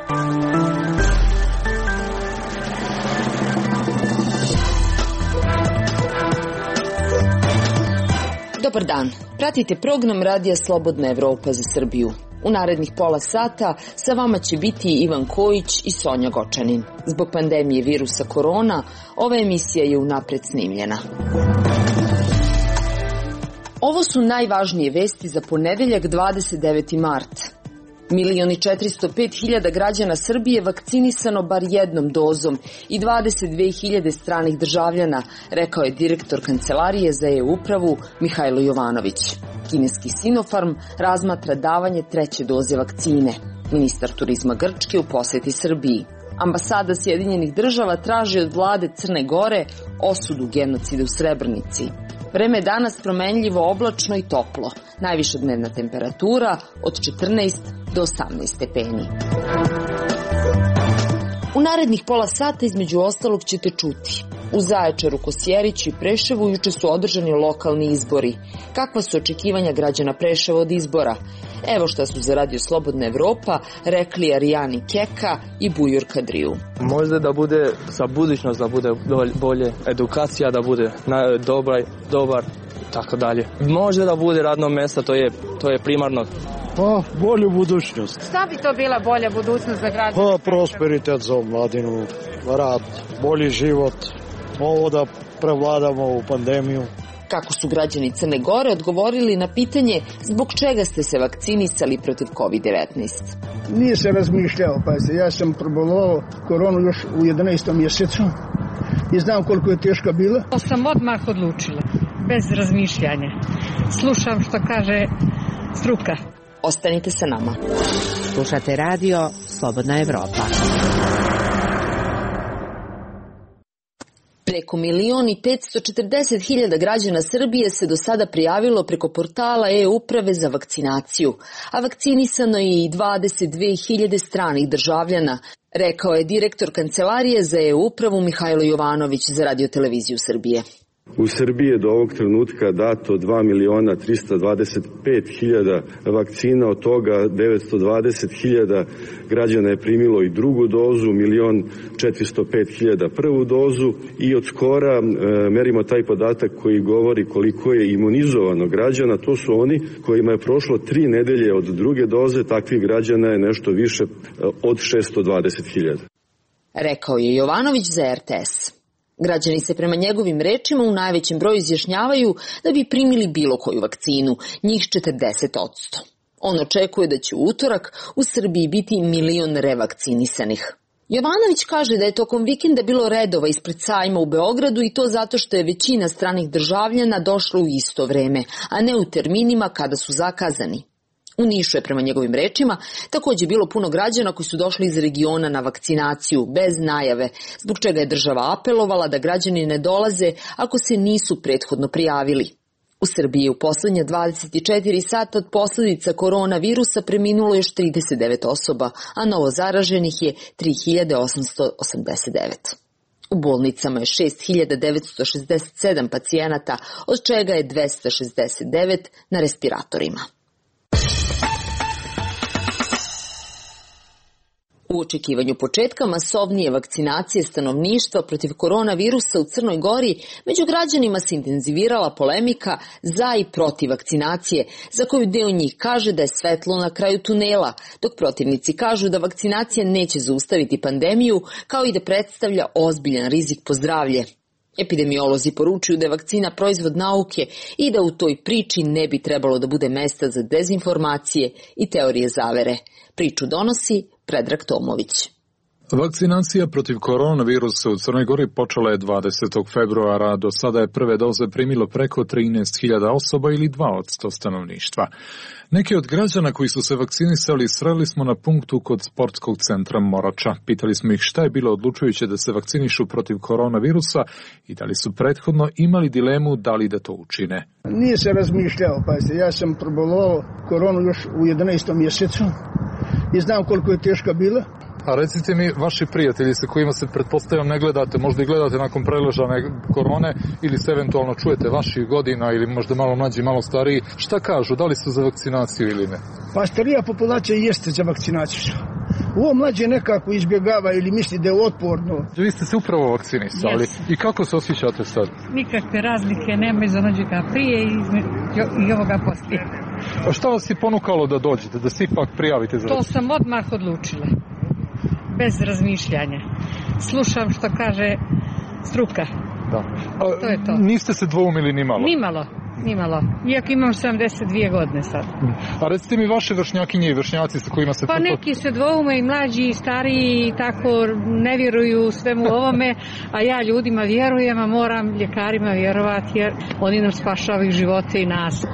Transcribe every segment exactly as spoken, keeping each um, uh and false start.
Dobar dan, pratite program Radija Slobodna Evropa za Srbiju. U narednih pola sata sa vama će biti Ivan Kojić i Sonja Gočanin. Zbog pandemije virusa korona, ova emisija je unapred snimljena. Ovo su najvažnije vesti za ponedeljak dvadeset deveti mart. Milion i četiristo pet hiljada građana Srbije vakcinisano bar jednom dozom i dvadeset dve hiljade stranih državljana, rekao je direktor Kancelarije za e-upravu Mihajlo Jovanović. Kineski Sinopharm razmatra davanje treće doze vakcine. Ministar turizma Grčke u poseti Srbiji. Ambasada Sjedinjenih država traži od vlade Crne Gore osudu genocida u Srebrenici. Vreme je danas promenljivo, oblačno i toplo. Najviša dnevna temperatura od četrnaest do osamnaest stepeni. U narednih pola sata između ostalog ćete čuti. U Zaječaru, Kosjeriću i Preševu juče su održani lokalni izbori. Kakva su očekivanja građana Preševa od izbora? Evo šta su za Radio Slobodna Evropa rekli Arijani Keka i Bujur Kadriju. Možda da bude za budućnost, da bude bolje edukacija, da bude dobar, dobar tako dalje. Možda da bude radno mjesto, to je, to je primarno. Pa, bolju budućnost. Šta bi to bila bolja budućnost za građane? Pa, prosperitet za mladinu, rad, bolji život, ovo da prevladamo u pandemiju. Kako su građani Crne Gore odgovorili na pitanje zbog čega ste se vakcinisali protiv kovid devetnaest? Nije se razmišljao, pa se, ja sam probolovao koronu još u jedanaestom mjesecu i znam koliko je teška bila. To sam odmah odlučila, bez razmišljanja. Slušam što kaže struka. Ostanite sa nama. Slušate radio Slobodna Evropa. Preko milion i petsto četrdeset hiljada građana Srbije se do sada prijavilo preko portala e-uprave za vakcinaciju, a vakcinisano je i dvadeset dve hiljade stranih državljana, rekao je direktor Kancelarije za e-upravu Mihajlo Jovanović za Radio-televiziju Srbije. U Srbiji je do ovog trenutka dato dva miliona trista dvadeset pet hiljada vakcina, od toga devetsto dvadeset hiljada građana je primilo i drugu dozu, milion četiristo pet hiljada prvu dozu i od skora e, merimo taj podatak koji govori koliko je imunizovano građana. To su oni kojima je prošlo tri nedelje od druge doze, takvih građana je nešto više od šesto dvadeset hiljada. Rekao je Jovanović za er te es. Građani se prema njegovim rečima u najvećem broju izjašnjavaju da bi primili bilo koju vakcinu, njih četrdeset posto. On očekuje da će u utorak u Srbiji biti milion revakcinisanih. Jovanović kaže da je tokom vikenda bilo redova ispred sajma u Beogradu i to zato što je većina stranih državljana došla u isto vreme, a ne u terminima kada su zakazani. U Nišu je, prema njegovim rečima, također bilo puno građana koji su došli iz regiona na vakcinaciju bez najave, zbog čega je država apelovala da građani ne dolaze ako se nisu prethodno prijavili. U Srbiji je u poslednja dvadeset četiri sata od posljedica koronavirusa preminulo još trideset devet osoba, a novo zaraženih je tri hiljade osamsto osamdeset devet. U bolnicama je šest hiljada devetsto šezdeset sedam pacijenata, od čega je dvesta šezdeset devet na respiratorima. U očekivanju početka masovnije vakcinacije stanovništva protiv koronavirusa u Crnoj Gori, među građanima se intenzivirala polemika za i protiv vakcinacije, za koju deo njih kaže da je svetlo na kraju tunela, dok protivnici kažu da vakcinacija neće zaustaviti pandemiju, kao i da predstavlja ozbiljan rizik po zdravlje. Epidemiolozi poručuju da je vakcina proizvod nauke i da u toj priči ne bi trebalo da bude mesta za dezinformacije i teorije zavere. Priču donosi Predrag Tomović. Vakcinacija protiv koronavirusa u Crnoj Gori počela je dvadesetog februara, do sada je prve doze primilo preko trinaest hiljada osoba ili dva posto stanovništva. Neki od građana koji su se vakcinisali sreli smo na punktu kod sportskog centra Morača. Pitali smo ih šta je bilo odlučujuće da se vakcinišu protiv koronavirusa i da li su prethodno imali dilemu da li da to učine. Nije se razmišljao, pa se, ja sam probolovao koronu još u jedanaestom mjesecu i znam koliko je teška bila. A recite mi, vaši prijatelji sa kojima se pretpostavljam ne gledate, možda i gledate nakon preležane korone ili se eventualno čujete vaših godina ili možda malo mlađi, malo stariji, šta kažu, da li su za vakcinaciju ili ne? Pa starija populacija jeste za vakcinaciju. Ovo mlađe nekako izbjegava ili misli da je otporno. Vi ste se upravo vakcinisali. Yes. I kako se osjećate sad? Nikakve razlike nema iz onođega prije i, i ovoga poslije. A šta vas je ponukalo da dođete, da se ipak prijavite za To vakcinu? sam odmah odlučila. Bez razmišljanja. Slušam što kaže struka. Da. A, to je to. Niste se dvoumili ni malo? Nimalo, nimalo. Iako imam sedamdeset dvije godine sad. A recite mi vaše vršnjakinje i vršnjaci sa kojima se... Pa neki se dvoume i mlađi i stariji i tako ne vjeruju svemu ovome, a ja ljudima vjerujem, a moram ljekarima vjerovati jer oni nam spašavaju živote i nas.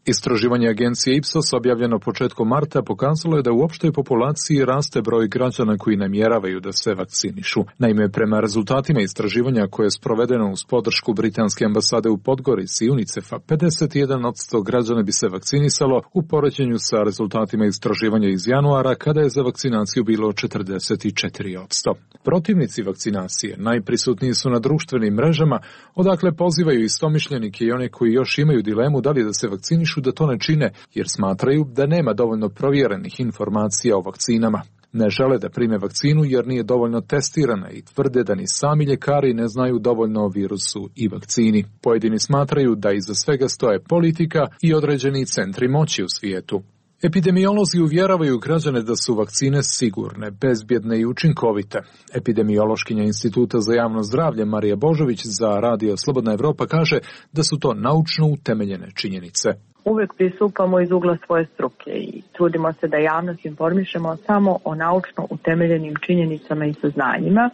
Istraživanje agencije Ipsos objavljeno početkom marta pokazalo je da u opštoj populaciji raste broj građana koji namjeravaju da se vakcinišu. Naime, prema rezultatima istraživanja koje je sprovedeno uz podršku britanske ambasade u Podgorici i UNICEF-a, pedeset jedan posto građana bi se vakcinisalo u poređenju sa rezultatima istraživanja iz januara kada je za vakcinaciju bilo četrdeset četiri posto. Protivnici vakcinacije najprisutniji su na društvenim mrežama, odakle pozivaju istomišljenike i one koji još imaju dilemu da li da se vakcinišu da to ne čine, jer smatraju da nema dovoljno provjerenih informacija o vakcinama. Ne žele da prime vakcinu jer nije dovoljno testirana i tvrde da ni sami ljekari ne znaju dovoljno o virusu i vakcini. Pojedini smatraju da iza svega stoje politika i određeni centri moći u svijetu. Epidemiolozi uvjeravaju građane da su vakcine sigurne, bezbjedne i učinkovite. Epidemiološkinja Instituta za javno zdravlje Marija Božović za Radio Slobodna Evropa kaže da su to naučno utemeljene činjenice. Uvijek pristupamo iz ugla svoje struke i trudimo se da javnost informišemo samo o naučno utemeljenim činjenicama i saznanjima.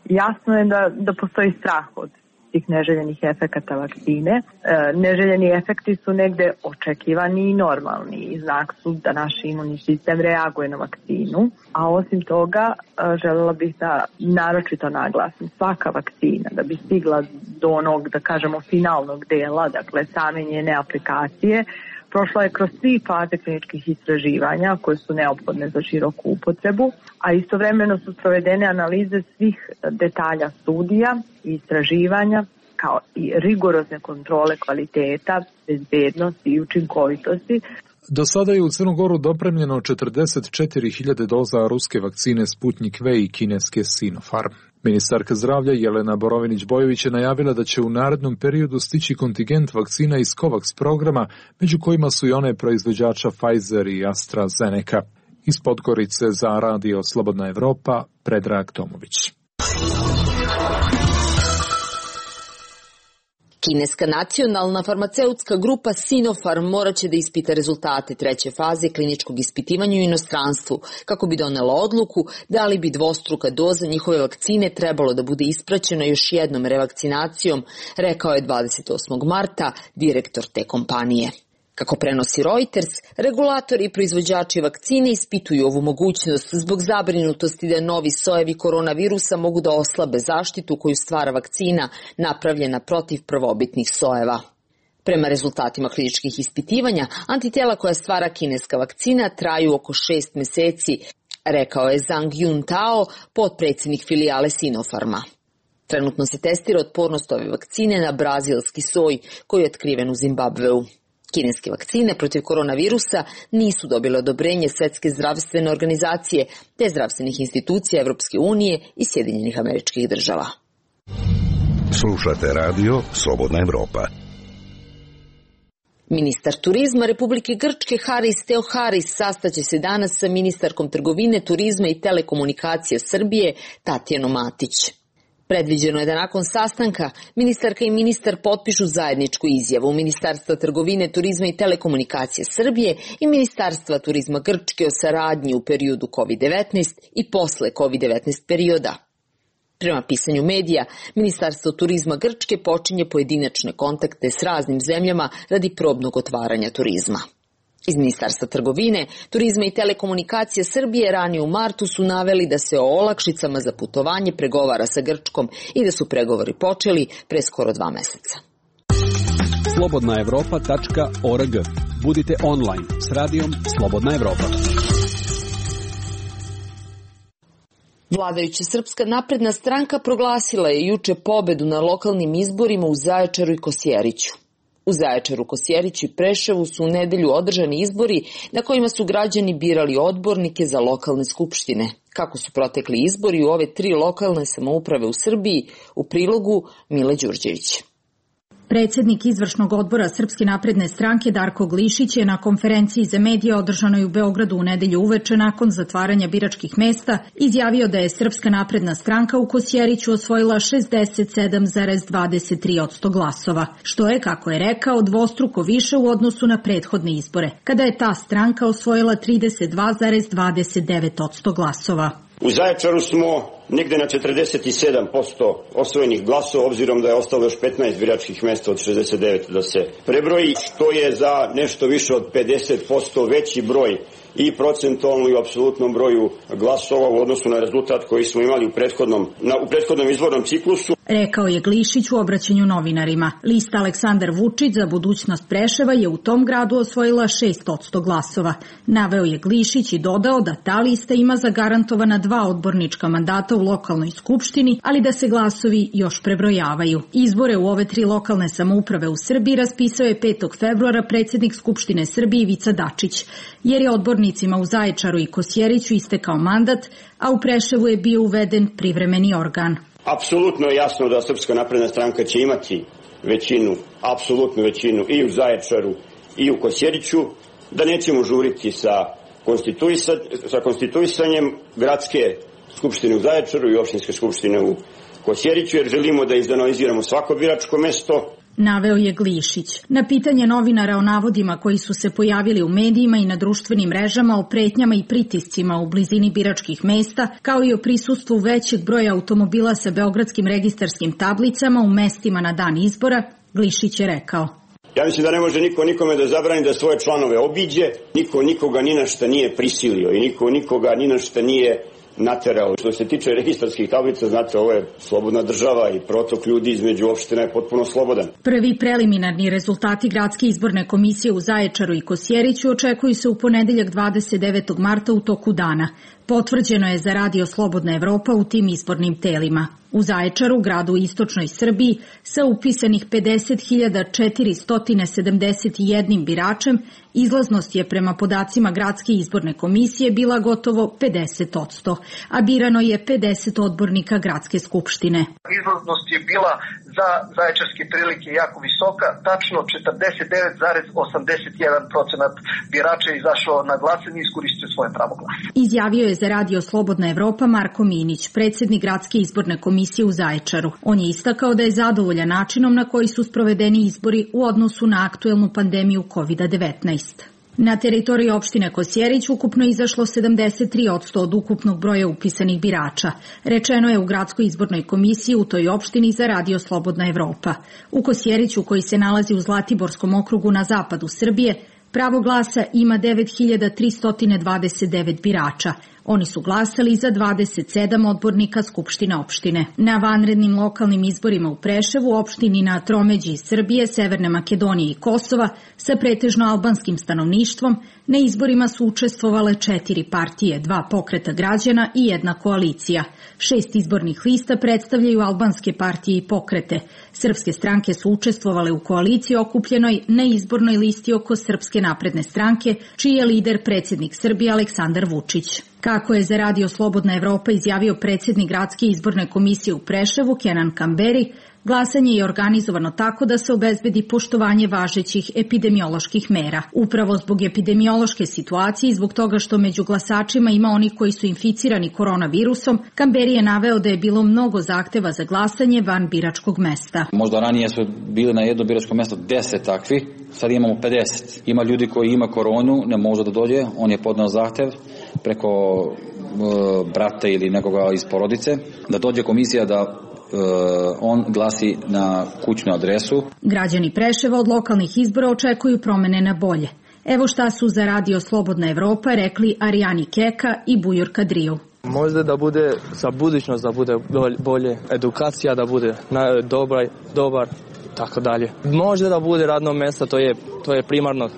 Jasno je da, da postoji strah od tih neželjenih efekata vakcine. E, neželjeni efekti su negde očekivani i normalni i znak su da naš imunni sistem reaguje na vakcinu. A osim toga, e, željela bih da naročito naglasim, svaka vakcina da bi stigla do onog, da kažemo, finalnog dela, dakle same njene aplikacije, prošla je kroz tri faze kliničkih istraživanja koje su neophodne za široku upotrebu, a istovremeno su provedene analize svih detalja studija i istraživanja kao i rigorozne kontrole kvaliteta, bezbednosti i učinkovitosti. Do sada je u Crnu Goru dopremljeno četrdeset četiri hiljade doza ruske vakcine Sputnik V i kineske Sinopharm. Ministarka zdravlja Jelena Borovinić-Bojović je najavila da će u narednom periodu stići kontingent vakcina iz COVAX programa, među kojima su i one proizvođača Pfizer i AstraZeneca. Iz Podgorice za Radio Slobodna Evropa, Predrag Tomović. Kineska nacionalna farmaceutska grupa Sinopharm morat će da ispita rezultate treće faze kliničkog ispitivanja u inostranstvu, kako bi donela odluku da li bi dvostruka doza njihove vakcine trebalo da bude ispraćena još jednom revakcinacijom, rekao je dvadeset osmog marta direktor te kompanije. Kako prenosi Reuters, regulatori i proizvođači vakcine ispituju ovu mogućnost zbog zabrinutosti da novi sojevi koronavirusa mogu da oslabe zaštitu koju stvara vakcina napravljena protiv prvobitnih sojeva. Prema rezultatima kliničkih ispitivanja, antitela koja stvara kineska vakcina traju oko šest meseci, rekao je Zhang Yuntao, potpredsjednik filijale Sinopharma. Trenutno se testira otpornost ove vakcine na brazilski soj koji je otkriven u Zimbabveu. Kineske vakcine protiv koronavirusa nisu dobile odobrenje Svetske zdravstvene organizacije te zdravstvenih institucija Evropske unije i Sjedinjenih Američkih Država. Slušate radio Slobodna Evropa. Ministar turizma Republike Grčke Haris Theoharis sastaće se danas sa ministarkom trgovine, turizma i telekomunikacije Srbije Tatjanom Matić. Predviđeno je da nakon sastanka ministarka i ministar potpišu zajedničku izjavu Ministarstva trgovine, turizma i telekomunikacije Srbije i Ministarstva turizma Grčke o saradnji u periodu kovid devetnaest i posle kovid devetnaest perioda. Prema pisanju medija, Ministarstvo turizma Grčke počinje pojedinačne kontakte s raznim zemljama radi probnog otvaranja turizma. Iz Ministarstva trgovine, turizma i telekomunikacije Srbije ranije u martu su naveli da se o olakšicama za putovanje pregovara sa Grčkom i da su pregovori počeli pre skoro dva meseca. slobodna evropa tačka org. Budite online s radijom Slobodna Evropa. Vladajuća Srpska napredna stranka proglasila je juče pobedu na lokalnim izborima u Zaječaru i Kosjeriću. U Zaječaru, Kosjeriću i Preševu su u nedelju održani izbori na kojima su građani birali odbornike za lokalne skupštine. Kako su protekli izbori u ove tri lokalne samouprave u Srbiji, u prilogu Mile Đurđević. Predsjednik izvršnog odbora Srpske napredne stranke Darko Glišić je na konferenciji za medije održanoj u Beogradu u nedelju uveče nakon zatvaranja biračkih mesta izjavio da je Srpska napredna stranka u Kosjeriću osvojila šezdeset sedam zarez dvadeset tri posto glasova, što je, kako je rekao, dvostruko više u odnosu na prethodne izbore, kada je ta stranka osvojila trideset dva zarez dvadeset devet posto glasova. U Zaječaru smo negde na četrdeset sedam posto osvojenih glasova, obzirom da je ostalo još petnaest biračkih mesta od šezdeset devet da se prebroji, što je za nešto više od pedeset posto veći broj i procentualno i u apsolutnom broju glasova u odnosu na rezultat koji smo imali u prethodnom, na, u prethodnom izbornom ciklusu. Rekao je Glišić u obraćanju novinarima. Lista Aleksandar Vučić za budućnost Preševa je u tom gradu osvojila šest posto glasova. Naveo je Glišić i dodao da ta lista ima zagarantovana dva odbornička mandata u lokalnoj skupštini, ali da se glasovi još prebrojavaju. Izbore u ove tri lokalne samouprave u Srbiji raspisao je petog februara predsjednik Skupštine Srbije Ivica Dačić, jer je odbornicima u Zaječaru i Kosjeriću istekao mandat, a u Preševu je bio uveden privremeni organ. Apsolutno je jasno da Srpska napredna stranka će imati većinu, apsolutnu većinu i u Zaječaru i u Kosjeriću, da nećemo žuriti sa, konstituisa, sa konstituisanjem gradske skupštine u Zaječaru i opštinske skupštine u Kosjeriću, jer želimo da izanaliziramo svako biračko mesto. Naveo je Glišić. Na pitanje novinara o navodima koji su se pojavili u medijima i na društvenim mrežama o pretnjama i pritiscima u blizini biračkih mesta, kao i o prisustvu većeg broja automobila sa beogradskim registarskim tablicama u mestima na dan izbora, Glišić je rekao: Ja mislim da ne može niko nikome da zabrani da svoje članove obiđe, niko nikoga ni na šta nije prisilio i niko nikoga ni na šta nije naterao. Što se tiče registarskih tablica, znate, ovo je slobodna država i protok ljudi između opština je potpuno slobodan. Prvi preliminarni rezultati Gradske izborne komisije u Zaječaru i Kosjeriću očekuju se u ponedeljak dvadeset devetog marta u toku dana. Potvrđeno je za Radio Slobodna Evropa u tim izbornim telima. U Zaječaru, gradu u istočnoj Srbiji, sa upisanih pedeset hiljada četiristo sedamdeset jedan biračem, izlaznost je prema podacima Gradske izborne komisije bila gotovo pedeset posto, a birano je pedeset odbornika Gradske skupštine. Izlaznost je bila za zaječarske prilike jako visoka, tačno četrdeset devet zarez osamdeset jedan posto birača je izašao na glasanje i iskoristio svoje pravo glasa. Izjavio je za Radio Slobodna Evropa Marko Minić, predsjednik Gradske izborne komisije u Zaječaru. On je istakao da je zadovoljan načinom na koji su sprovedeni izbori u odnosu na aktuelnu pandemiju kovid devetnaest. Na teritoriji opštine Kosjerić ukupno izašlo sedamdeset tri posto od ukupnog broja upisanih birača. Rečeno je u Gradskoj izbornoj komisiji u toj opštini za Radio Slobodna Evropa. U Kosjeriću, koji se nalazi u Zlatiborskom okrugu na zapadu Srbije, pravo glasa ima devet hiljada tristo dvadeset devet birača. Oni su glasali za dvadeset sedam odbornika Skupštine opštine. Na vanrednim lokalnim izborima u Preševu, opštini na tromeđi Srbije, Severne Makedonije i Kosova, sa pretežno albanskim stanovništvom, na izborima su učestvovale četiri partije, dva pokreta građana i jedna koalicija. Šest izbornih lista predstavljaju albanske partije i pokrete. Srpske stranke su učestvovale u koaliciji okupljenoj na izbornoj listi oko Srpske napredne stranke, čiji je lider predsjednik Srbije Aleksandar Vučić. Kako je za Radio Slobodna Evropa izjavio predsjednik Gradske izborne komisije u Preševu Kenan Kamberi, glasanje je organizovano tako da se obezbedi poštovanje važećih epidemioloških mera. Upravo zbog epidemiološke situacije i zbog toga što među glasačima ima oni koji su inficirani koronavirusom, Kamberi je naveo da je bilo mnogo zahteva za glasanje van biračkog mesta. Možda ranije su bili na jedno biračko mesto deset takvi, sad imamo pedeset. Ima ljudi koji ima koronu, ne može da dođe, on je podneo zahtev preko e, brata ili nekoga iz porodice, da dođe komisija da on glasi na kućnu adresu. Građani Preševa od lokalnih izbora očekuju promene na bolje. Evo šta su za Radio Slobodna Evropa rekli Arijani Keka i Bujur Kadriju. Možda da bude za budućnost, da bude bolje, edukacija da bude dobra, dobar, tako dalje. Možda da bude radno mjesto, to je, to je primarno.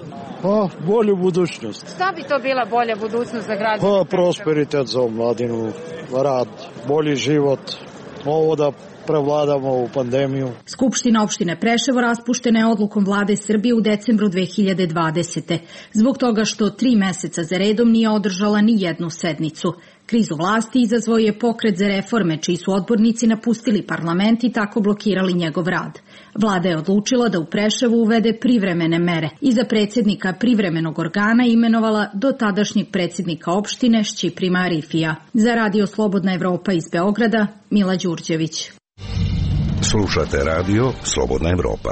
Pa, bolju budućnost. Šta bi to bila bolja budućnost za građane? Pa, prosperitet za mladinu, rad, bolji život. Ovo da prevladamo ovu pandemiju. Skupština opštine Preševo raspuštena je odlukom vlade Srbije u decembru dve hiljade dvadesete. Zbog toga što tri meseca za redom nije održala ni jednu sednicu. Krizu vlasti izazvao je Pokret za reforme, čiji su odbornici napustili parlament i tako blokirali njegov rad. Vlada je odlučila da u Preševu uvede privremene mere i za predsjednika privremenog organa imenovala do tadašnjeg predsjednika opštine Šćiprima Arifija. Za Radio Slobodna Evropa iz Beograda, Mila Đurđević. Slušate radio Slobodna Evropa.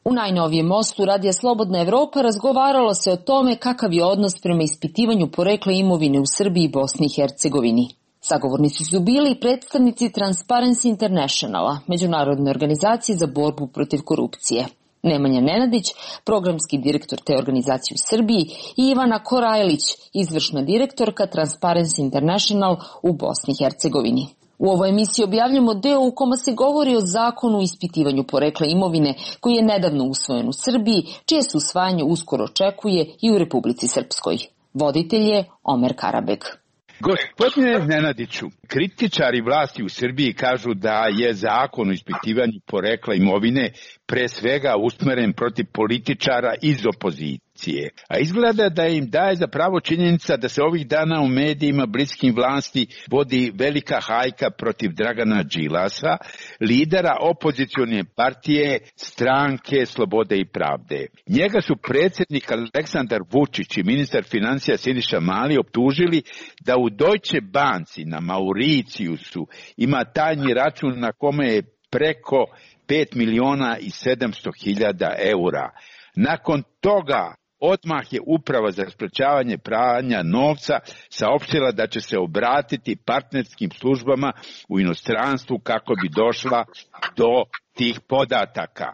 U najnovijem mostu Radija Slobodna Evropa razgovaralo se o tome kakav je odnos prema ispitivanju porekla imovine u Srbiji i Bosni i Hercegovini. Sagovornici su bili predstavnici Transparency Internationala, međunarodne organizacije za borbu protiv korupcije. Nemanja Nenadić, programski direktor te organizacije u Srbiji, i Ivana Korajlić, izvršna direktorka Transparency International u Bosni i Hercegovini. U ovoj emisiji objavljamo deo u kome se govori o zakonu o ispitivanju porekla imovine koji je nedavno usvojen u Srbiji, čije se usvajanje uskoro očekuje i u Republici Srpskoj. Voditelj je Omer Karabek. Gospodine Nenadiću, kritičari vlasti u Srbiji kažu da je zakon o ispitivanju porekla imovine pre svega usmeren protiv političara iz opozicije. A izgleda da im daje za pravo činjenica da se ovih dana u medijima bliskim vlasti vodi velika hajka protiv Dragana Đilasa, lidera opozicione partije Stranke slobode i pravde. Njega su predsjednik Aleksandar Vučić i ministar financija Siniša Mali optužili da u Deutsche Banci na Mauricijusu ima tajni račun na kome je preko pet miliona i sedamsto hiljada eura. Nakon toga odmah je Uprava za sprečavanje pranja novca saopštila da će se obratiti partnerskim službama u inostranstvu kako bi došla do tih podataka.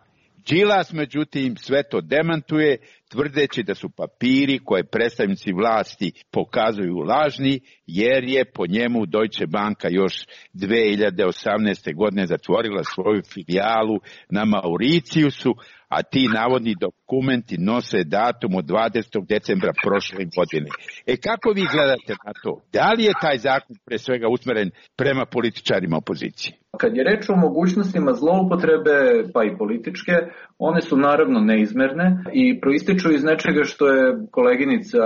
Đilas, međutim, sve to demantuje, tvrdeći da su papiri koje predstavnici vlasti pokazuju lažni, jer je po njemu Deutsche Banka još dve hiljade osamnaeste. godine zatvorila svoju filijalu na Mauricijusu, a ti navodni dokumenti nose datum od dvadesetog decembra prošle godine. E kako vi gledate na to? Da li je taj zakon pre svega usmeren prema političarima opozicije? Kad je reč o mogućnostima zloupotrebe, pa i političke, one su naravno neizmerne i proističu iz nečega što je koleginica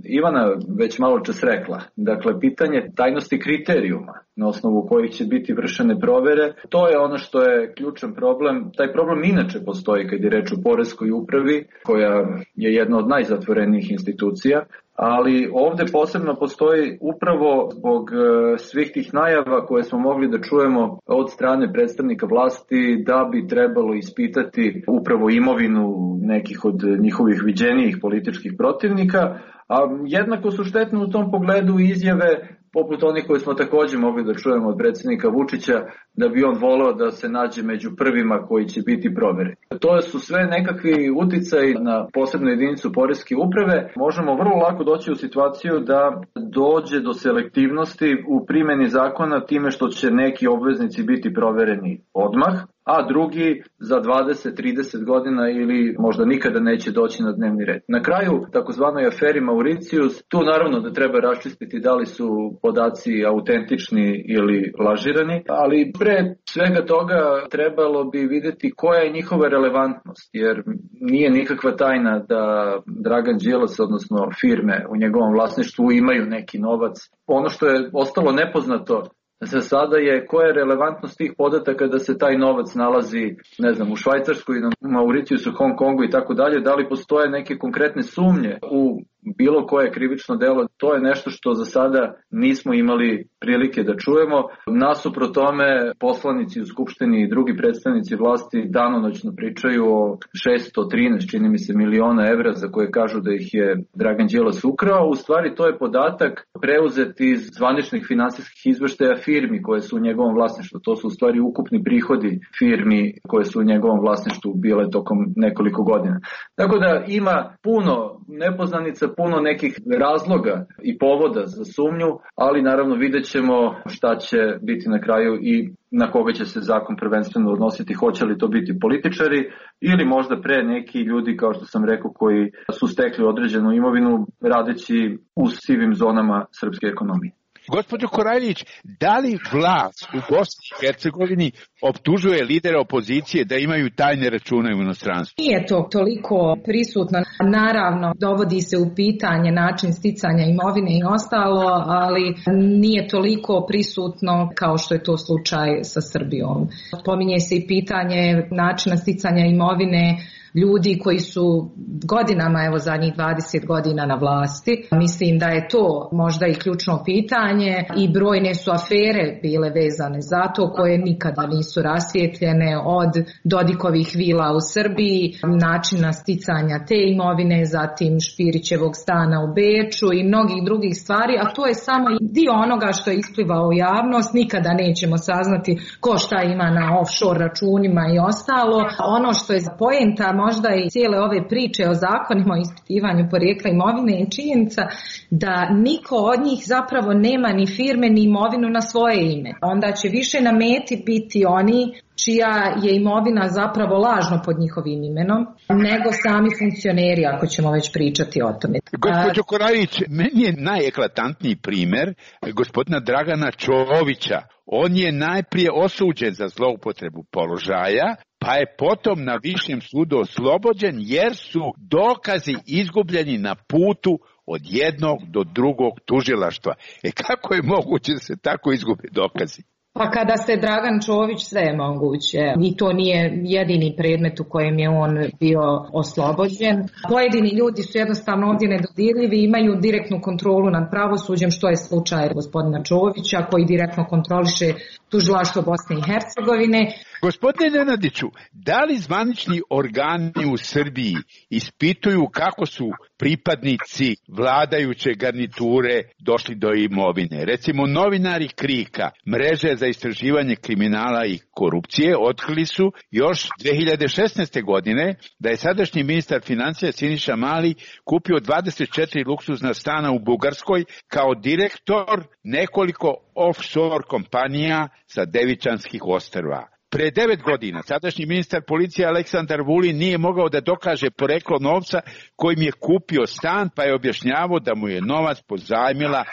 Ivana već malo čas rekla. Dakle, pitanje tajnosti kriterijuma na osnovu kojih će biti vršene provere, to je ono što je ključan problem. Taj problem inače postoji kad je reč o poreskoj upravi, koja je jedna od najzatvorenijih institucija, ali ovde posebno postoji upravo zbog svih tih najava koje smo mogli da čujemo od strane predstavnika vlasti da bi trebalo ispitati upravo imovinu nekih od njihovih viđenijih političkih protivnika, a jednako su štetne u tom pogledu izjave poput onih koje smo takođe mogli da čujemo od predsjednika Vučića, da bi on voleo da se nađe među prvima koji će biti provereni. To su sve nekakvi uticaji na posebnu jedinicu poreske uprave. Možemo vrlo lako doći u situaciju da dođe do selektivnosti u primjeni zakona time što će neki obveznici biti provereni odmah, a drugi za dvadeset do trideset godina ili možda nikada neće doći na dnevni red. Na kraju, takozvanoj aferi Mauricijus, tu naravno da treba raščistiti da li su podaci autentični ili lažirani, ali pre svega toga trebalo bi vidjeti koja je njihova relevantnost, jer nije nikakva tajna da Dragan Đilas, odnosno firme u njegovom vlasništvu imaju neki novac. Ono što je ostalo nepoznato za sada je koja je relevantnost tih podataka da se taj novac nalazi, ne znam, u Švajcarskoj, na Mauricijusu, Hong Kongu i tako dalje, da li postoje neke konkretne sumnje u bilo koje krivično delo, to je nešto što za sada nismo imali prilike da čujemo. Nasuprot tome, poslanici u Skupštini i drugi predstavnici vlasti danonoćno pričaju o šesto trinaest, čini mi se, miliona evra za koje kažu da ih je Dragan Đilas ukrao. U stvari to je podatak preuzet iz zvaničnih finansijskih izveštaja firmi koje su u njegovom vlasništvu. To su u stvari ukupni prihodi firmi koje su u njegovom vlasništvu bile tokom nekoliko godina. Tako da ima puno nepoznanica, puno nekih razloga i povoda za sumnju, ali naravno vidjet ćemo šta će biti na kraju i na koga će se zakon prvenstveno odnositi, hoće li to biti političari ili možda pre neki ljudi, kao što sam rekao, koji su stekli određenu imovinu radeći u sivim zonama srpske ekonomije. Gospođo Korajlić, da li vlast u Bosni i Hercegovini optužuje lidera opozicije da imaju tajne račune u inostranstvu? Nije to toliko prisutno. Naravno, dovodi se u pitanje način sticanja imovine i ostalo, ali nije toliko prisutno kao što je to slučaj sa Srbijom. Pominje se i pitanje načina sticanja imovine ljudi koji su godinama, evo zadnjih dvadeset godina na vlasti. Mislim da je to možda i ključno pitanje i brojne su afere bile vezane za to koje nikada nisu rasvijetljene, od Dodikovih vila u Srbiji, načina sticanja te imovine, zatim Špirićevog stana u Beču i mnogih drugih stvari, a to je samo dio onoga što je isplivao u javnost. Nikada nećemo saznati ko šta ima na offshore računima i ostalo. Ono što je poenta možda i cijele ove priče o zakonima o ispitivanju porijekla imovine je činjenica da niko od njih zapravo nema ni firme ni imovinu na svoje ime. Onda će više na meti biti oni čija je imovina zapravo lažno pod njihovim imenom, nego sami funkcioneri, ako ćemo već pričati o tome. Gospođo Korajlić, meni je najeklatantniji primer gospodina Dragana Čovića. On je najprije osuđen za zloupotrebu položaja, pa je potom na višem sudu oslobođen jer su dokazi izgubljeni na putu od jednog do drugog tužilaštva. E kako je moguće da se tako izgube dokazi? Pa kada se Dragan Čović, sve je moguće i to nije jedini predmet u kojem je on bio oslobođen. Pojedini ljudi su jednostavno ovdje nedodirljivi, imaju direktnu kontrolu nad pravosuđem, što je slučaj gospodina Čovića koji direktno kontroliše tužilaštvo Bosne i Hercegovine. Gospodine Nenadiću, da li zvanični organi u Srbiji ispituju kako su pripadnici vladajuće garniture došli do imovine? Recimo, novinari Krika, mreže za istraživanje kriminala i korupcije, otkrili su još dve hiljade šesnaeste. godine da je sadašnji ministar financija Siniša Mali kupio dvadeset četiri luksuzna stana u Bugarskoj kao direktor nekoliko offshore kompanija sa Devičanskih ostrva. Pre devet godina sadašnji ministar policije Aleksandar Vulin nije mogao da dokaže poreklo novca kojim je kupio stan, pa je objašnjavao da mu je novac pozajmila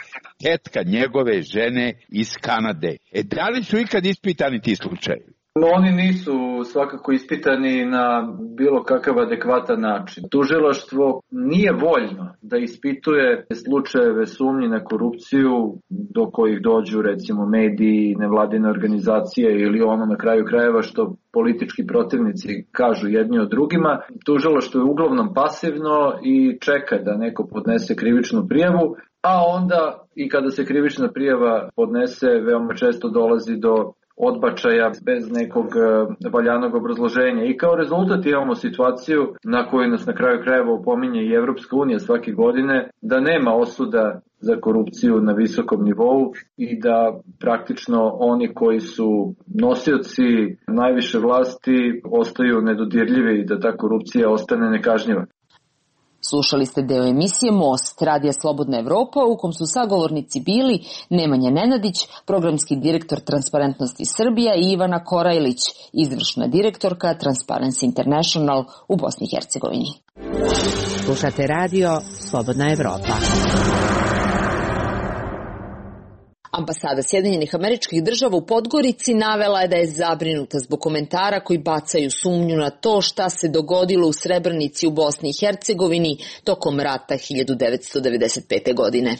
tetka njegove žene iz Kanade. E, da li su ikad ispitani ti slučajevi? Oni nisu svakako ispitani na bilo kakav adekvatan način. Tužilaštvo nije voljno da ispituje slučajeve sumnji na korupciju do kojih dođu recimo mediji, nevladine organizacije ili ono na kraju krajeva što politički protivnici kažu jedni od drugima. Tužilaštvo je uglavnom pasivno i čeka da neko podnese krivičnu prijavu, a onda i kada se krivična prijava podnese veoma često dolazi do odbačaja bez nekog valjanog obrazloženja. I kao rezultat imamo situaciju na koju nas na kraju krajeva opominje i Evropska unija svake godine, da nema osuda za korupciju na visokom nivou i da praktično oni koji su nosioci najviše vlasti ostaju nedodirljivi i da ta korupcija ostane nekažnjiva. Slušali ste deo emisije Most, Radija Slobodna Evropa, u kom su sagovornici bili Nemanja Nenadić, programski direktor Transparentnosti Srbija, i Ivana Korajlić, izvršna direktorka Transparency International u Bosni i Hercegovini. Slušate radio Slobodna Evropa. Ambasada Sjedinjenih Američkih Država u Podgorici navela je da je zabrinuta zbog komentara koji bacaju sumnju na to šta se dogodilo u Srebrenici u Bosni i Hercegovini tokom rata hiljadu devetsto devedeset pete. godine.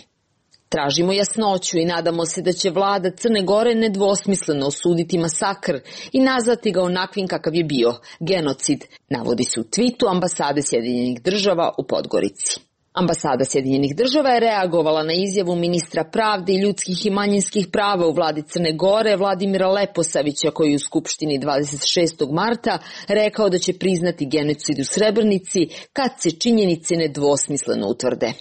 Tražimo jasnoću i nadamo se da će vlada Crne Gore nedvosmisleno osuditi masakr i nazvati ga onakvim kakav je bio, genocid, navodi se u tvitu Ambasade Sjedinjenih Država u Podgorici. Ambasada Sjedinjenih Država je reagovala na izjavu ministra pravde i ljudskih i manjinskih prava u vladi Crne Gore Vladimira Leposavića, koji je u Skupštini dvadeset šestog marta rekao da će priznati genocid u Srebrenici kad se činjenice nedvosmisleno utvrde.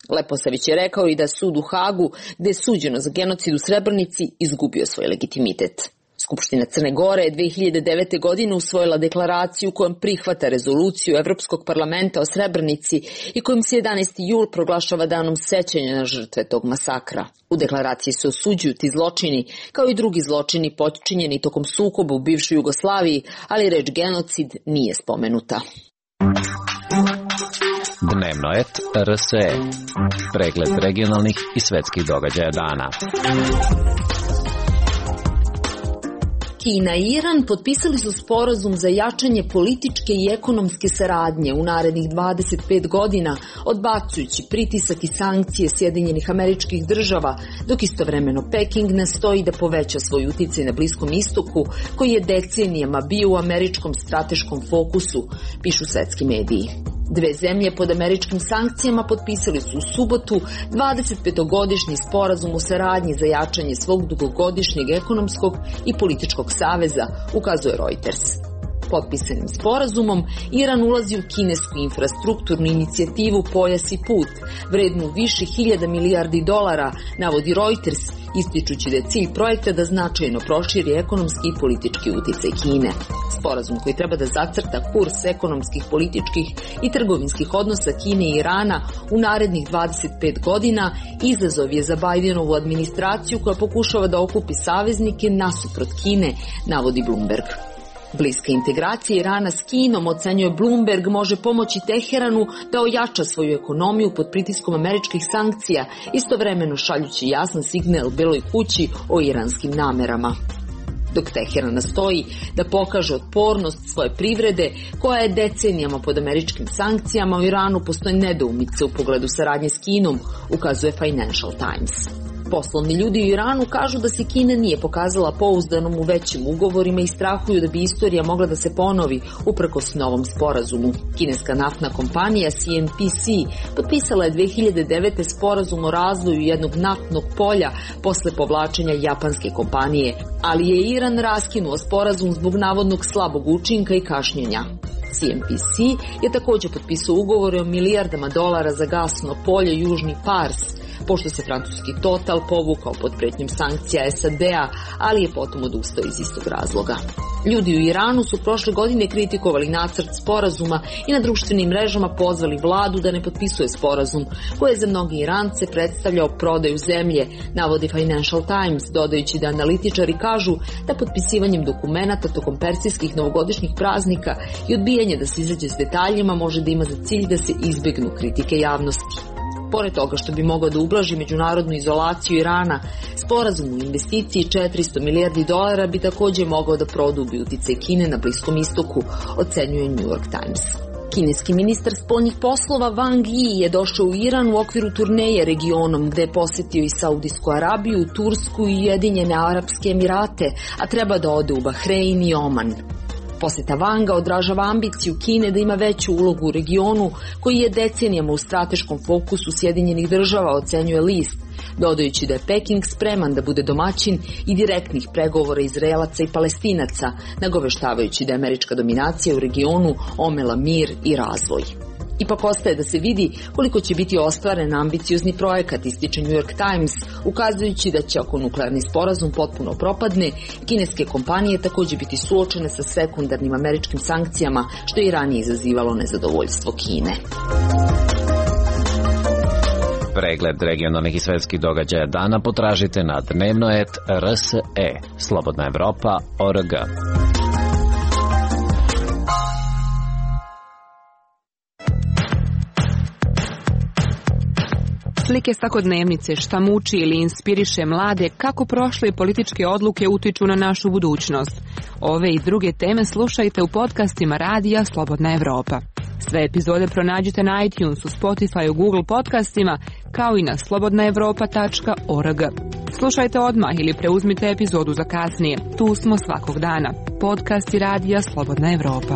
Leposavić je rekao i da sud u Hagu, gde je suđeno za genocid u Srebrenici, izgubio svoj legitimitet. Skupština Crne Gore je dve hiljade devete. godine usvojila deklaraciju kojom prihvata rezoluciju Evropskog parlamenta o Srebrenici i kojom se jedanaesti jul proglašava danom sećanja na žrtve tog masakra. U deklaraciji se osuđuju ti zločini, kao i drugi zločini počinjeni tokom sukoba u bivšoj Jugoslaviji, ali reč genocid nije spomenuta. Dnevno et R S E. Pregled regionalnih i svetskih događaja dana. Kina i Iran potpisali su sporazum za jačanje političke i ekonomske saradnje u narednih dvadeset pet godina, odbacujući pritisak i sankcije Sjedinjenih Američkih Država, dok istovremeno Peking nastoji da poveća svoj uticaj na Bliskom istoku, koji je decenijama bio u američkom strateškom fokusu, pišu svetski mediji. Dve zemlje pod američkim sankcijama potpisali su u subotu dvadesetpetogodišnji sporazum o saradnji za jačanje svog dugogodišnjeg ekonomskog i političkog saveza, ukazuje Reuters. Potpisanim sporazumom Iran ulazi u kinesku infrastrukturnu inicijativu Pojas i put, vrednu više hiljada milijardi dolara, navodi Reuters, ističući da je cilj projekta da značajno proširi ekonomski i politički uticaj Kine. Sporazum koji treba da zacrta kurs ekonomskih, političkih i trgovinskih odnosa Kine i Irana u narednih dvadeset pet godina izazov je za Bidenovu administraciju koja pokušava da okupi saveznike nasuprot Kine, navodi Bloomberg. Bliska integracija Irana s Kinom, ocenjuje Bloomberg, može pomoći Teheranu da ojača svoju ekonomiju pod pritiskom američkih sankcija, istovremeno šaljući jasan signal Beloj kući o iranskim namerama. Dok Teheran nastoji da pokaže otpornost svoje privrede, koja je decenijama pod američkim sankcijama, u Iranu postoje nedoumice u pogledu saradnje s Kinom, ukazuje Financial Times. Poslovni ljudi u Iranu kažu da se Kina nije pokazala pouzdanom u većim ugovorima i strahuju da bi istorija mogla da se ponovi uprkos novom sporazumu. Kineska naftna kompanija C N P C potpisala je dve hiljade devete. sporazum o razvoju jednog naftnog polja posle povlačenja japanske kompanije, ali je Iran raskinuo sporazum zbog navodnog slabog učinka i kašnjenja. C N P C je također potpisao ugovore o milijardama dolara za gasno polje Južni Pars, pošto se francuski Total povukao pod pretnjom sankcija S A D-a, ali je potom odustao iz istog razloga. Ljudi u Iranu su prošle godine kritikovali nacrt sporazuma i na društvenim mrežama pozvali vladu da ne potpisuje sporazum, koji je za mnogi Irance predstavljao prodaju zemlje, navodi Financial Times, dodajući da analitičari kažu da potpisivanjem dokumenata tokom persijskih novogodišnjih praznika i odbijanje da se izađe s detaljima može da ima za cilj da se izbegnu kritike javnosti. Pored toga što bi mogao da ublaži međunarodnu izolaciju Irana, sporazum u investiciji četiristo milijardi dolara bi također mogao da produbi uticaj Kine na Bliskom istoku, ocenjuje New York Times. Kineski ministar spoljnih poslova Wang Yi je došao u Iran u okviru turneje regionom, gde je posjetio i Saudijsku Arabiju, Tursku i Ujedinjene Arapske Emirate, a treba da ode u Bahrein i Oman. Posjeta Wanga odražava ambiciju Kine da ima veću ulogu u regionu, koji je decenijama u strateškom fokusu Sjedinjenih Država, ocenjuje list, dodajući da je Peking spreman da bude domaćin i direktnih pregovora Izraelaca i Palestinaca, nagoveštavajući da je američka dominacija u regionu omela mir i razvoj. Ipak ostaje da se vidi koliko će biti ostvaren ambiciozni projekat, ističe New York Times, ukazujući da će, ako nuklearni sporazum potpuno propadne, kineske kompanije također biti suočene sa sekundarnim američkim sankcijama, što je i ranije izazivalo nezadovoljstvo Kine. Pregled regionalnih i svetskih događaja dana potražite na dnevno et R S E, Slobodna Evropa, O R G. Slike svakodnevnice, šta muči ili inspiriše mlade, kako prošle političke odluke utiču na našu budućnost. Ove i druge teme slušajte u podcastima Radija Slobodna Evropa. Sve epizode pronađite na iTunesu, Spotify, Google podcastima, kao i na slobodna evropa tačka org. Slušajte odmah ili preuzmite epizodu za kasnije. Tu smo svakog dana. Podcasti Radija Slobodna Evropa.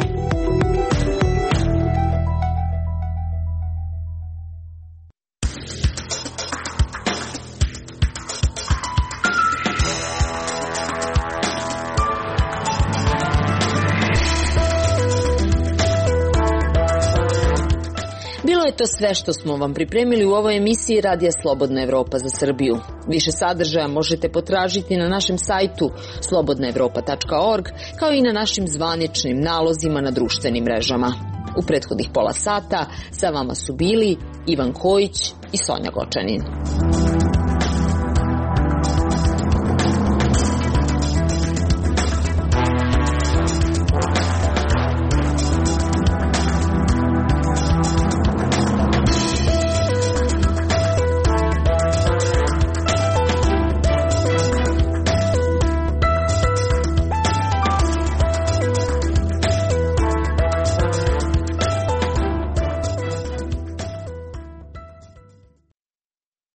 Bilo je to sve što smo vam pripremili u ovoj emisiji Radija Slobodna Evropa za Srbiju. Više sadržaja možete potražiti na našem sajtu slobodna evropa tačka org, kao i na našim zvaničnim nalozima na društvenim mrežama. U prethodnih pola sata sa vama su bili Ivan Kojić i Sonja Gočanin.